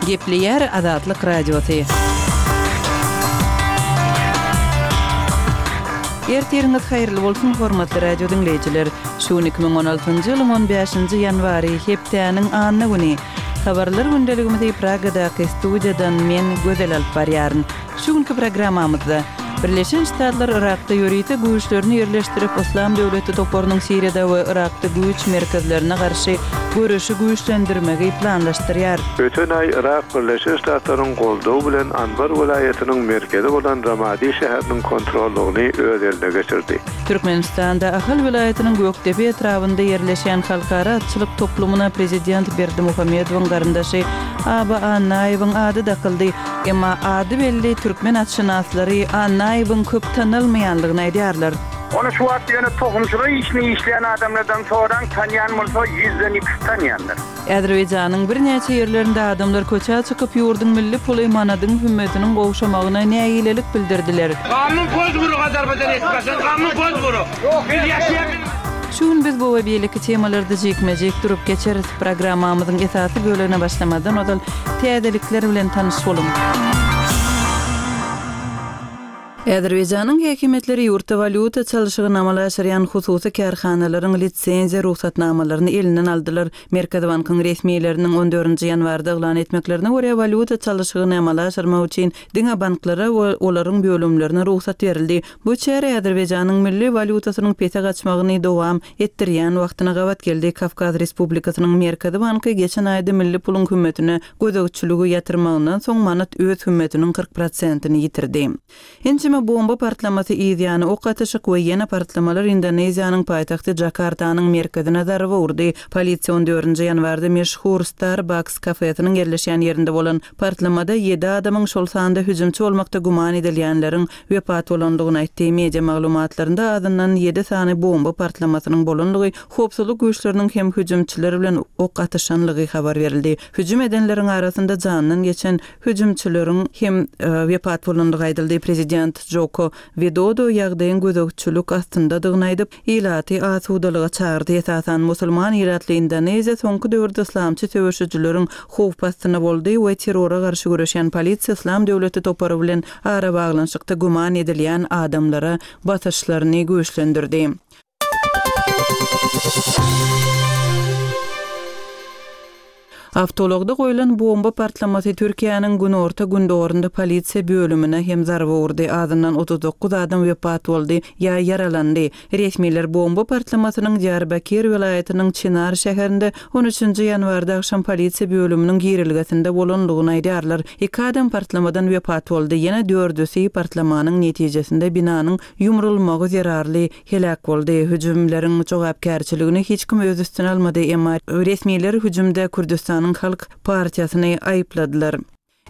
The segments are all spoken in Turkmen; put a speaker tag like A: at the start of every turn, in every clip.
A: Gepleýär Azatlyk Radiosy. Ertiriňiz haýyrly bolsun, hormatly radio diňleýjiler! Şu gün 2016-njy ýylyň on bäşinji ýanwary, hepdäniň anna güni. Habarlar gündeligimizi Pragadaky studiýadan men, Gözel alyp barýaryn. Şu günki programmamyzda, Birleşen Ştatlar Yrakda ýörite güýçlerini ýerleşdirip, Yslam döwleti toparynyň Siriýada we Yrakda güýç merkezlerine garşy göreşi güýçlendirmegi planlaşdyrýar.
B: Öten aý Yrak Birleşen Ştatlaryň goldawy bilen Anbar welaýatynyň merkezi bolan Ramadi şäheriniň kontrollygyny öz eline geçirdi.
A: Türkmenistanda Ahal welaýatynyň Gökdepe etrabynda ýerleşýän Halkara atçylyk toplumyna prezident Berdimuhamedowyň garyndaşy Aba Annaýewiň ady dakyldy. Emma ady belli türkmen atşynaslary Annaýewiň köp tanalmaýanlygyny aýdýarlar.
C: Ony şu wagt ýöne tohumçylyk işini işleýän adamlardan soraň, tanýan bolsa ýüzden ikisi tanýandyr.
A: Azerbaýjanyň birnäçe ýerlerinde adamlar köçä çykyp, ýurduň milli puly manadyň hümmetiniň gowşamagyna nägilelik bildirdiler.
D: Gamyň koz guru Azerbaýjan etmesin gamyň koz guru biz ýaşaýa
A: Şu gün biz bu we beýleki temalarda jikme-jik durup geçeris. Programmamyzyň esasy bölegine başlamazdan ozal täzelikler bilen tanyş boluň. Azerbaýjanyň häkimiýetleri ýurtda walýuta çalşygyny amala aşyrýan hususy kärhanalaryň lisenziýa rugsatnamalaryny elinden aldylar. Merkezi bankyň resmileriniň on dördünji ýanwarda yglan etmeklerine görä, walýuta çalşygyny amala aşyrmak üçin diňe banklara we olaryň bölümlerine rugsat berildi. Bu çäre Azerbaýjanyň milli walýutasynyň pese gaçmagyny dowam etdirýän wagtyna gabat geldi. Kawkaz Respublikasynyň Merkezi banky geçen aýda milli puluň hümmetine gözegçiligi ýatyrmagyndan soň manat öz hümmetiniň 40 prosentini ýitirdi. Ençeme bomba partlamasy, yzýany ok atyşyk we ýene partlamalar Indoneziýanyň paýtagty Jakartanyň merkezine zarba urdy. Polisiýa on dördünji ýanwarda meşhur Starbucks kafesiniň ýerleşýän ýerinde bolan partlamada ýedi adamyň, şol sanda hüjümçi bolmakda güman edilýänleriň wepat bolandygyny aýtdy. Media maglumatlarynda azyndan ýedi sany bomba partlamasynyň bolandygy, howpsuzlyk güýçleriniň hem hüjümçiler bilen ok atyşanlygy habar berildi. Hüjüm edenleriň arasynda janyndan geçen hüjümçileriň hem wepat bolandygy aýdyldy. Prezident Joko Widodo ýagdaýyň gözegçilik astyndadygyny aýdyp, ilaty asudalyga çagyrdy. Esasan, musulman ilatly Indoneziýa soňky döwürde yslamçy söweşijileriň howp astynda boldy we terrora garşy göreşýän polisiýa Yslam döwleti topary bilen arabaglanyşykda güman edilýän adamlara basyşlaryny güýçlendirdi. Awtoulagda goýlan bomba partlamasy Türkiýäniň günorta-gündogarynda polisiýa bölümine hem zarba urdy, azyndan 39 adam wepat boldy ýa ýaralandy. Resmiler bomba partlamasynyň Diýarbakir welaýatynyň Çinar şäherinde on üçünji ýanwarda agşam polisiýa bölüminiň girelgesinde bolandygyny aýdýarlar. Iki adam partlamadan wepat boldy, ýene dördüsi partlamanyň netijesinde binanyň ýumrulmagy zerarly heläk boldy. Hüjümleriň jogapkärçiligini hiç kim öz üstüne almady, emma resmiler hüjümde Kürdüstanyň Halk partiýasyny aýypladylar.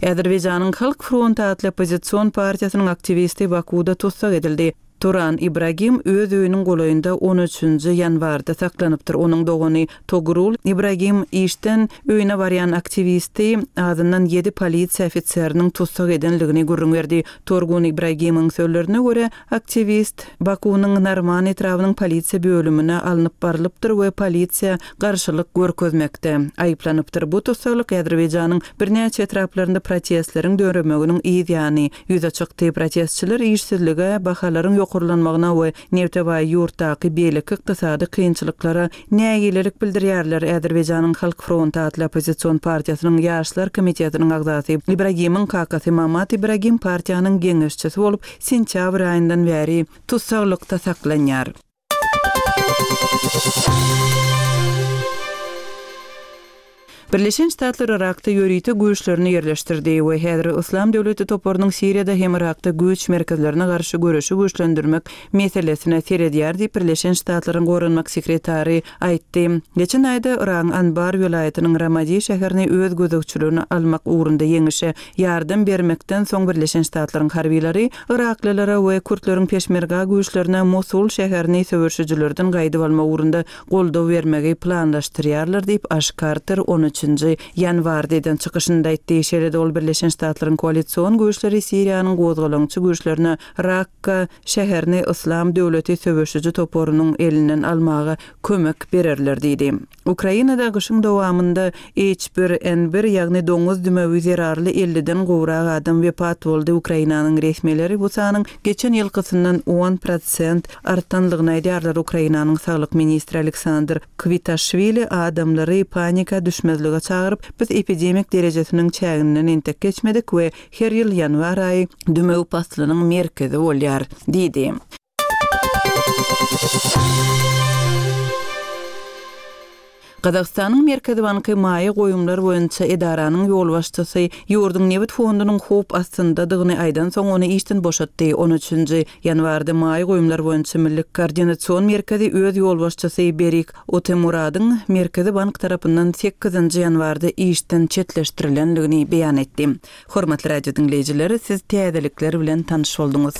A: Azerbaýjanyň Halk fronty atly oppozision partiýasynyň aktiwisti Bakuwda tussag edildi. Turan Ibragim öz öýüniň golaýynda on üçünji ýanwarda saklanypdyr. Onuň dogany Togrul Ibragim işden öýüne barýan aktiwisti azyndan ýedi polisiýa ofiseriniň tussag edenligini gürrüň berdi. Torgun Ibragimiň sözlerine görä, Aktiwist Bakunyň Narman etrabynyň polisiýa bölümine alnyp barylypdyr we polisiýa garşylyk görkezmekde aýyplanypdyr. Bu tussaglyk Azerbaýjanyň birnäçe etraplarynda protestleriň döremeginiň yz ýany ýüze çykdy. Protestçiler işsizlige, bahalaryň ýokarlanmagyna we nebte baý ýurtdaky beýleki ykdysady kynçylyklara nägilelik bildirýärler. Azerbaýjanyň Halk fronty atly oppozision partiýasynyň Ýaşlar komitetiniň agzasy Ibragimiň kakasy Mamat Ibragim partiýanyň geňeşçisi bolup, sentýabr aýyndan bäri tussaglykda saklanýar. Birleşen Ştatlar Yrakda ýörite güýçlerini ýerleşdirdi we häzir Yslam döwleti toparynyň Siriýada hem Yrakda güýç merkezlerine garşy göreşi güýçlendirmek meselesine seredýär diýip, Birleşen Ştatlaryň goranmak sekretary aýtdy. Geçen aýda Yragyň Anbar welaýatynyň Ramadi şäherini öz gözegçiligine almak ugrunda ýeňişe ýardam bermekden soň Birleşen Ştatlaryň harbylary yraklylara we kürtleriň peşmerga güýçlerine Mosul şäherini söweşijilerden gaýdyp almak ugrunda goldaw bermegi planlaşdyrýarlar diýip, Aş Karter on üç. üçünji ýanwarda eden çykyşynda aýtdy. Şeýle-de ol Birleşen Ştatlaryň koalision güýçleri Siriýanyň gozgalaňçy güýçlerine Rakka şäherini Yslam döwleti söweşiji toparynyň elinden almaga kömek bererler diýdi. Ukrainada gyşyň dowamynda H bir N bir, ýagny doňuz dümewi zerarly elliden gowrak adam wepat boldy. Ukrainanyň resmileri bu sanyň geçen ýylkysyndan on prosent artanlygyny aýdýarlar. Ukrainanyň saglyk ministri Aleksandr Kwitaşwili adamlary panika düşmezlige çagyryp, Biz epidemik derejesiniň çäginden entek geçmedik we her ýyl ýanwar aýy dümew paslynyň merkezi bolýar diýdi. Gazagystanyň Merkezi banky maýa goýumlar boýunça edaranyň ýolbaşçysy ýurduň nebit fondunyň howp astyndadygyny aýdansoň ony işden boşatdy. On üçünji ýanwarda maýa goýumlar boýunça milli koordinasion merkezi öz ýolbaşçysy Berik Otemuradyň Merkezi bank tarapyndan sekizinji ýanwarda işden çetleşdirilendigini beýan etdi. Hormatly radio diňleýjiler, siz täzelikler bilen tanyş bolduňyz.